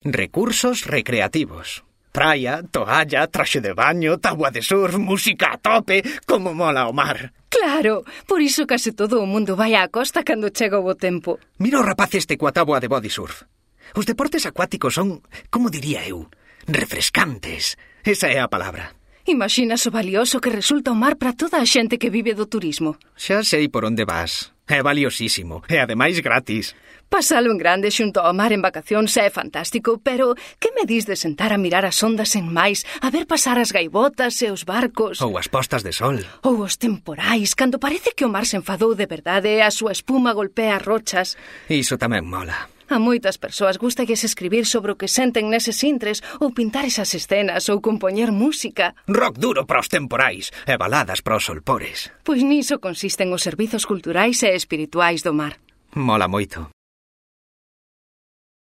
Recursos recreativos. Praia, toalla, traxe de baño, tábua de surf, música a tope, como mola o mar. Claro, por iso case todo o mundo vai á costa cando chega o bo tempo. Mira o rapaz este coa tábua de body surf. Os deportes acuáticos son, como diría eu, refrescantes. Esa é a palabra. Imaxinas o valioso que resulta o mar para toda a xente que vive do turismo. Xa sei por onde vas. É valiosísimo, e ademais gratis. Pasalo en grande xunto ao mar en vacacións é fantástico, pero que me dis de sentar a mirar as ondas en máis, a ver pasar as gaivotas e os barcos? Ou as postas de sol. Ou os temporais, cando parece que o mar se enfadou de verdade e a súa espuma golpea as rochas. Iso tamén mola. A moitas persoas gústalles escribir sobre o que senten neses intres ou pintar esas escenas ou compoñer música. Rock duro para os temporais e baladas para os solpores. Pois niso consisten os servizos culturais e espirituais do mar. Mola moito.